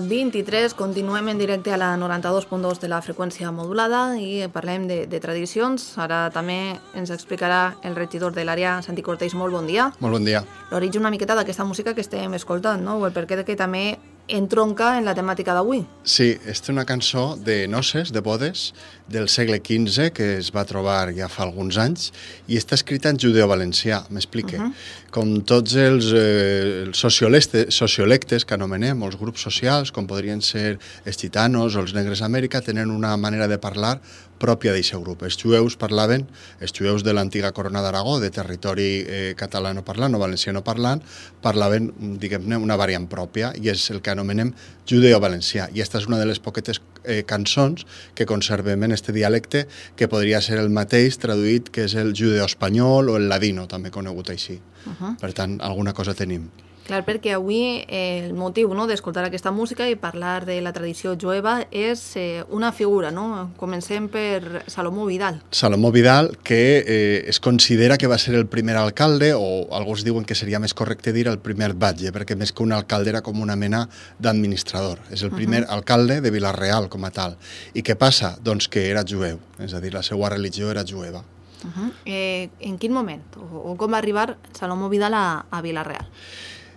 23, continuem en directe a la 92.2 de la freqüència modulada i parlem de tradicions. Ara també ens explicarà el regidor de l'àrea, Santi Cortells. Molt bon dia. Molt bon dia. L'origen una miqueta d'aquesta música que estem escoltant, no? O el perquè que també entronca en la temàtica d'avui. Sí, és una cançó de noces, de bodes, del segle XV, que es va trobar ja fa alguns anys, i està escrita en judeo-valencià, m'explique. Com tots els sociolectes que anomenem, els grups socials, com podrien ser els gitanos o els negres d'Amèrica, tenen una manera de parlar pròpia d'aquest grup. Els jueus parlaven, els jueus de l'antiga Corona d'Aragó, de territori catalano-parlant o valenciano-parlant, parlaven, diguem-ne, una variant pròpia, i és el que anomenem judeo-valencià. I aquesta és una de les poquetes cançons que conservem en este dialecte, que podria ser el mateix traduït, que és el judeo-espanyol o el ladino, també conegut així. Per tant, alguna cosa tenim. Clar, perquè avui el motiu d'escoltar aquesta música i parlar de la tradició jueva és una figura, no? Comencem per Salomó Vidal. Salomó Vidal, que es considera que va ser el primer alcalde, o alguns diuen que seria més correcte dir el primer batlle, perquè més que un alcalde era com una mena d'administrador. És el primer alcalde de Vila-real com a tal. I què passa? Doncs que era jueu, és a dir, la seva religió era jueva. En quin moment? O com va arribar Salomó Vidal a Vila-real?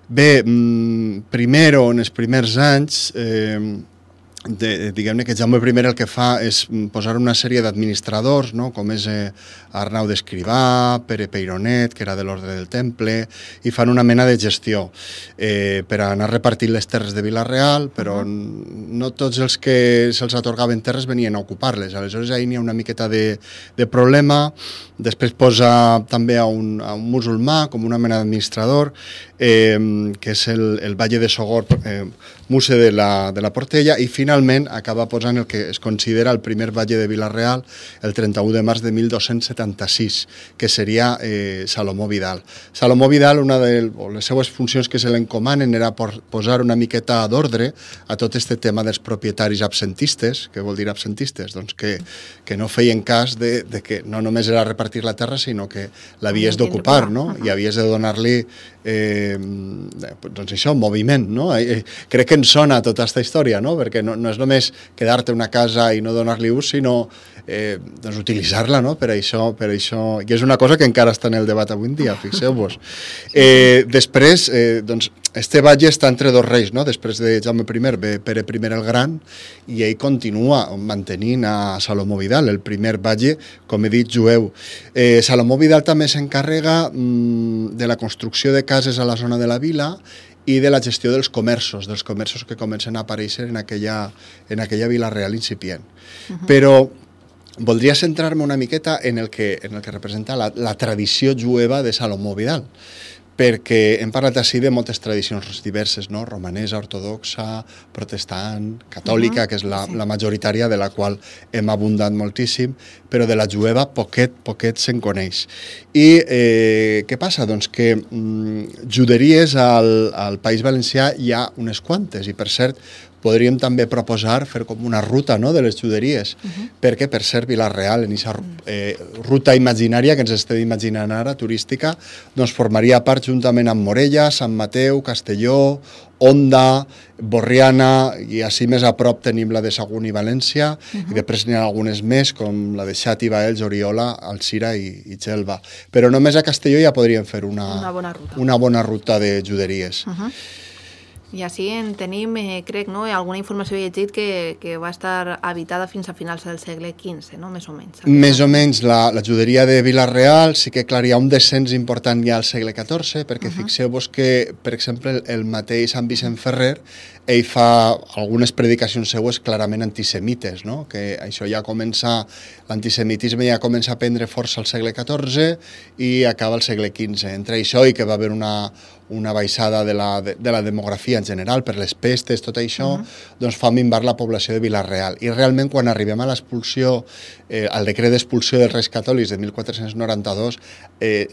Bé, primer o en els primers anys, diguem-ne que Jaume I el que fa és posar una sèrie d'administradors, no? Com és Arnau d'Escrivà, Pere Peironet, que era de l'Ordre del Temple, i fan una mena de gestió per anar repartint les terres de Vila-real, però no tots els que se'ls atorgaven terres venien a ocupar-les. Aleshores, ahir n'hi ha una miqueta de problema. Després posa també a un musulmà com una mena d'administrador, que és el Valle de Sogor, Muse de la Portella, i finalment acaba posant el que es considera el primer Valle de Vila-real el 31 de març de 1276, que seria Salomó Vidal. Salomó Vidal, una de les seues funcions que se l'encomanen era posar una miqueta d'ordre a tot este tema dels propietaris absentistes. Què vol dir absentistes? Doncs que no feien cas de que no només era repartir la terra, sinó que l'havies d'ocupar, no? I havies de donar-li doncs això, moviment, no? Crec que ens sona tota aquesta història, no? Perquè no és només quedar-te una casa i no donar-li ús, sinó doncs utilitzar-la, no? Per això, i és una cosa que encara està en el debat avui en dia, fixeu-vos. Després, doncs, este batlle està entre dos reis, no? Després de Jaume I ve Pere I el Gran, i ell continua mantenint a Salomó Vidal, el primer batlle, com he dit, jueu. Salomó Vidal també s'encarrega de la construcció de cases a la zona de la vila i de la gestió dels comerços que comencen a aparèixer en aquella Vila-real incipient. Però voldria centrar-me una miqueta en el que representa la tradició jueva de Salomó Vidal, perquè hem parlat així de moltes tradicions diverses, no? Romanesa, ortodoxa, protestant, catòlica, que és la majoritària, de la qual hem abundat moltíssim, però de la jueva poquet se'n coneix. I què passa? Doncs que juderies al País Valencià hi ha unes quantes, i per cert, podríem també proposar fer com una ruta, no?, de les juderies, perquè, per cert, Vila-real, en aquesta ruta imaginària que ens estem imaginant ara, turística, doncs formaria part juntament amb Morella, Sant Mateu, Castelló, Onda, Borriana, i així més a prop tenim la de Sagunt i València, i després n'hi ha algunes més, com la de Xàtiva, Baells, Oriola, Alzira i Xelva. Però només a Castelló ja podríem fer una bona ruta de juderies. I així en tenim, crec, no? Alguna informació he llegit que va estar habitada fins a finals del segle XV, no? Més o menys. Més o menys. La juderia de Vila-real sí que, clar, hi ha un descens important ja al segle XIV, perquè fixeu-vos que, per exemple, el mateix Sant Vicent Ferrer, ell fa algunes predicacions seues clarament antisemites, no? Que això ja comença, l'antisemitisme ja comença a prendre força al segle XIV i acaba al segle XV. Entre això i que va haver una baixada de la demografia en general per les pestes, tot això, doncs fa minvar la població de Vila-real. I realment, quan arribem a l'expulsió, al decret d'expulsió dels Reis Catòlics de 1492,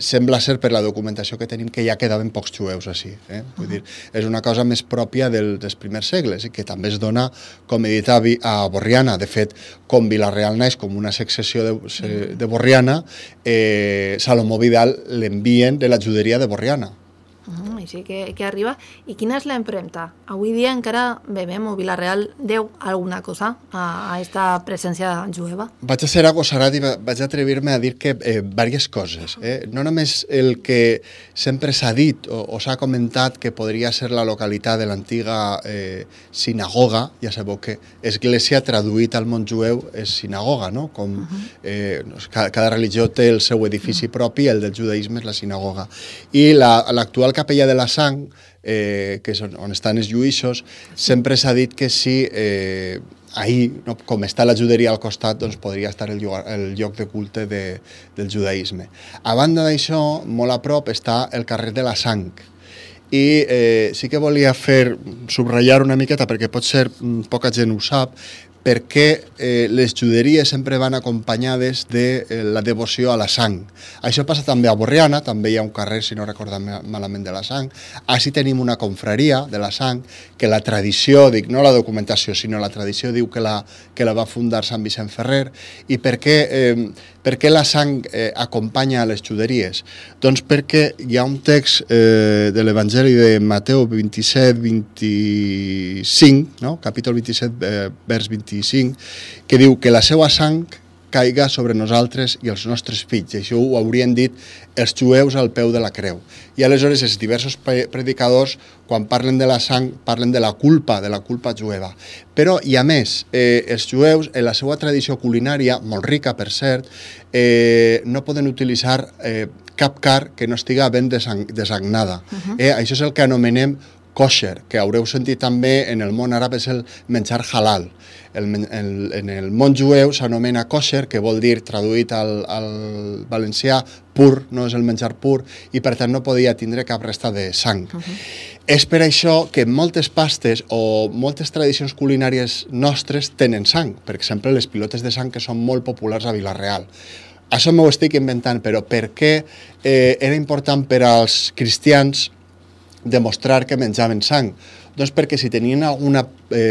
sembla ser, per la documentació que tenim, que ja quedaven pocs jueus així. Vull dir, és una cosa més pròpia dels primers segles, i que també es dona, com he dit, a Borriana. De fet, com Vila-real naix com una successió de Borriana, Salomó Vidal l'envien de la juderia de Borriana. així que arriba. I quina és l'empremta? Avui dia encara veiem, o Vila-real deu alguna cosa a aquesta presència jueva? Vaig a ser agosarat i vaig atrevir-me a dir que diverses coses. No només el que sempre s'ha dit o s'ha comentat que podria ser la localitat de l'antiga sinagoga, ja sabeu que església traduït al món jueu és sinagoga, no? Com cada religió té el seu edifici propi, el del judaïsme és la sinagoga. I l'actual capella de la Sang, que és on estan els lluïssos, sempre s'ha dit que si ahir, no, com està la juderia al costat, doncs podria estar el lloc de culte del judaïsme. A banda d'això, molt a prop està el carrer de la Sang. I sí que volia subratllar una miqueta, perquè potser poca gent ho sap, perquè les juderies sempre van acompanyades de la devoció a la sang. Això passa també a Borriana, també hi ha un carrer, si no recordo malament, de la sang. Així tenim una confraria de la sang, que la tradició, dic, no la documentació, sinó la tradició diu que la va fundar Sant Vicent Ferrer. I per què la sang acompanya a les juderies? Doncs perquè hi ha un text de l'Evangeli de Mateu 27-25, no? Capítol 27, vers 25, que diu que la seva sang caiga sobre nosaltres i els nostres fills. I això ho haurien dit els jueus al peu de la creu. I aleshores els diversos predicadors, quan parlen de la sang, parlen de la culpa jueva. Però, i a més, els jueus, en la seva tradició culinària, molt rica per cert, no poden utilitzar cap carn que no estiga ben desagnada. Això és el que anomenem kosher, que haureu sentit també en el món àrab és el menjar halal. En el món jueu s'anomena kosher, que vol dir, traduït al valencià, pur, no és el menjar pur, i per tant no podia tindre cap resta de sang. És per això que moltes pastes o moltes tradicions culinàries nostres tenen sang. Per exemple, les pilotes de sang, que són molt populars a Vila-real. Això m'ho estic inventant, però per què era important per als cristians demostrar que menjaven sang? Doncs perquè si tenien alguna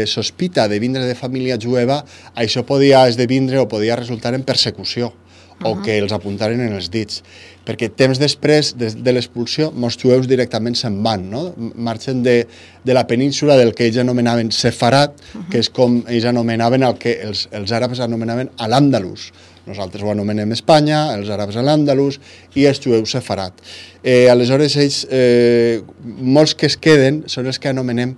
sospita de vindre de família jueva, això podia esdevindre o podia resultar en persecució, o que els apuntaren en els dits. Perquè temps després de l'expulsió, molts jueus directament se'n van, no? Marxen de la península del que ells anomenaven Sefarat, que és com ells anomenaven el que els àrabs anomenaven l'Àndalus. Nosaltres ho anomenem Espanya, els àrabs l'Àndalus i els jueus Sefarat. Aleshores, ells, molts que es queden són els que anomenem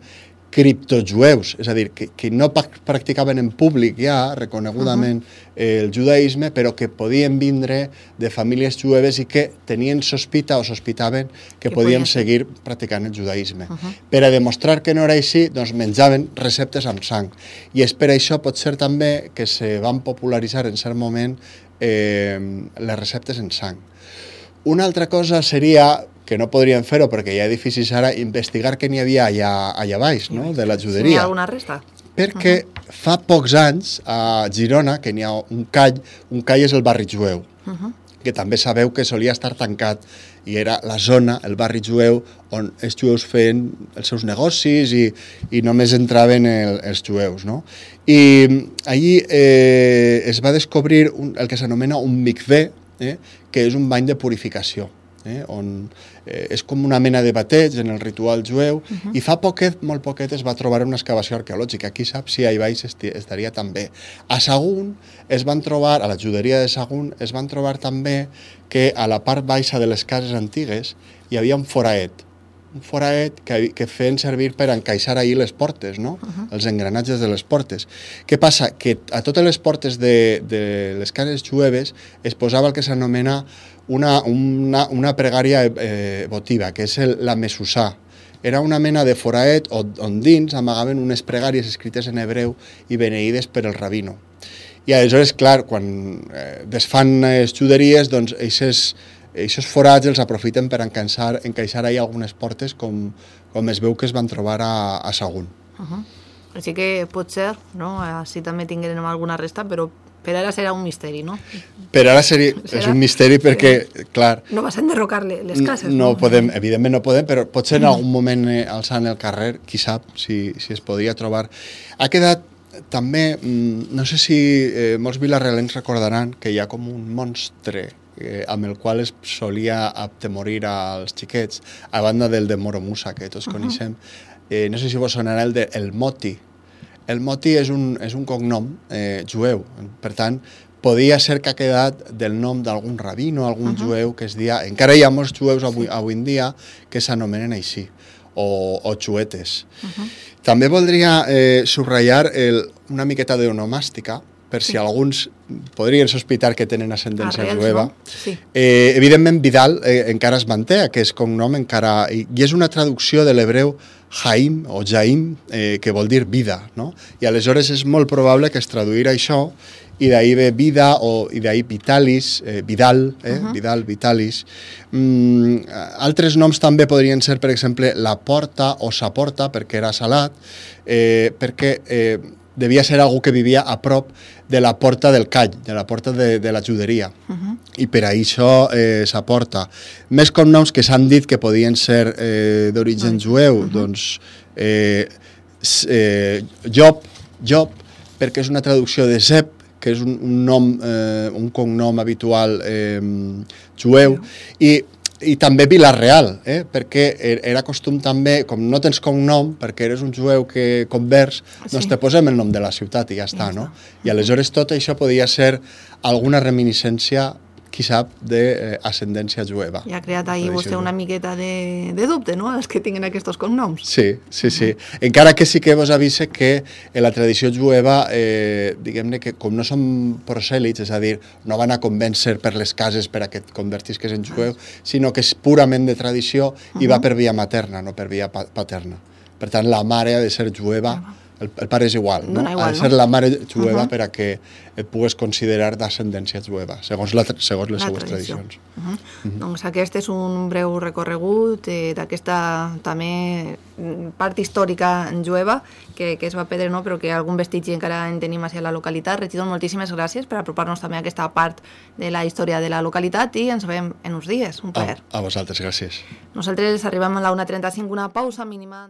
criptojueus, és a dir, que no practicaven en públic ja, reconegudament, el judaïsme, però que podien vindre de famílies jueves i que tenien sospita o sospitaven que podien seguir practicant el judaïsme. Per a demostrar que no era així, doncs menjaven receptes amb sang. I és per això pot ser també que se van popularitzar en cert moment les receptes en sang. Una altra cosa seria, que no podrien fer-ho perquè hi ha edificis ara, investigar què n'hi havia allà baix, no?, de la juderia. Si n'hi ha alguna resta. Perquè fa pocs anys a Girona, que n'hi ha un call és el barri jueu, que també sabeu que solia estar tancat i era la zona, el barri jueu, on els jueus feien els seus negocis i només entraven els jueus, no? I allí es va descobrir el que s'anomena un mikvé, que és un bany de purificació, on és com una mena de bateig en el ritual jueu, i fa poquet, molt poquet, es va trobar una excavació arqueològica. Qui sap si allà baix estaria també. A Sagunt es van trobar, a la juderia de Sagunt, es van trobar també que a la part baixa de les cases antigues hi havia un foraet que feien servir per encaixar ahir les portes, no? Els engranatges de les portes. Què passa? Que a totes les portes de les cases jueves es posava el que s'anomena una pregària votiva, que és la mesusà. Era una mena de foraet on dins amagaven unes pregàries escrites en hebreu i beneïdes per el rabino. I aleshores, clar, quan desfan les juderies, doncs aquests forats els aprofiten per encaixar ahí algunes portes, com es veu que es van trobar a Sagunt. Així que pot ser, no? Així també tinguem alguna resta, però per ara serà un misteri, no? Per ara és un misteri perquè, clar... No vas enderrocar les cases, no? Podem, evidentment no podem, però potser en algun moment alçant el carrer, qui sap si es podria trobar. Ha quedat també, no sé si molts vilarealencs recordaran que hi ha com un monstre amb el qual es solia atemorir als xiquets, a banda del de Moromusa, que tots coneixem. No sé si vos sonarà el de El Moti. El Moti és un cognom jueu, per tant, podia ser que ha quedat del nom d'algun rabino, algun jueu que es dia... Encara hi ha molts jueus avui en dia que s'anomenen així, o xuetes. També voldria subratllar una miqueta d'onomàstica, per si alguns podrien sospitar que tenen ascendència jueva. Evidentment, Vidal encara es manté, aquest cognom encara... I és una traducció de l'hebreu Jaim o Jaim, que vol dir vida, no? I aleshores és molt probable que es traduirà això, i d'ahí ve vida, i d'ahí Vitalis, Vidal, Vidal, Vitalis. Altres noms també podrien ser, per exemple, La Porta o Sa Porta, perquè era salat, perquè devia ser algú que vivia a prop de la Porta del Call, de la Porta de la Juderia. I per això Sa Porta. Més cognoms que s'han dit que podien ser d'origen jueu, doncs Job, perquè és una traducció de Zeb, que és un cognom habitual jueu, i també Vilareal, perquè era costum també, com no tens cognom, perquè eres un jueu que convers, doncs te posem el nom de la ciutat i ja està, no? I aleshores tot això podia ser alguna reminiscència, qui sap, d'ascendència jueva. I ha creat ahir vostè una miqueta de dubte, no?, els que tinguin aquests cognoms. Sí. Encara que sí que vos avise que en la tradició jueva, diguem-ne que com no són prosèlits, és a dir, no van a convèncer per les cases per a que et convertisques en jueu, sinó que és purament de tradició i va per via materna, no per via paterna. Per tant, la mare ha de ser jueva, el pare és igual, no? Ha de ser la mare jueva per a que et pugues considerar d'ascendència jueva, segons les seues tradicions. Doncs aquest és un breu recorregut d'aquesta també part històrica jueva que es va perdre, però que algun vestigi encara en tenim a la localitat. Regidor, moltíssimes gràcies per apropar-nos també a aquesta part de la història de la localitat i ens veiem en uns dies. Un plaer. A vosaltres, gràcies. Nosaltres arribem a la 1:35, una pausa mínima.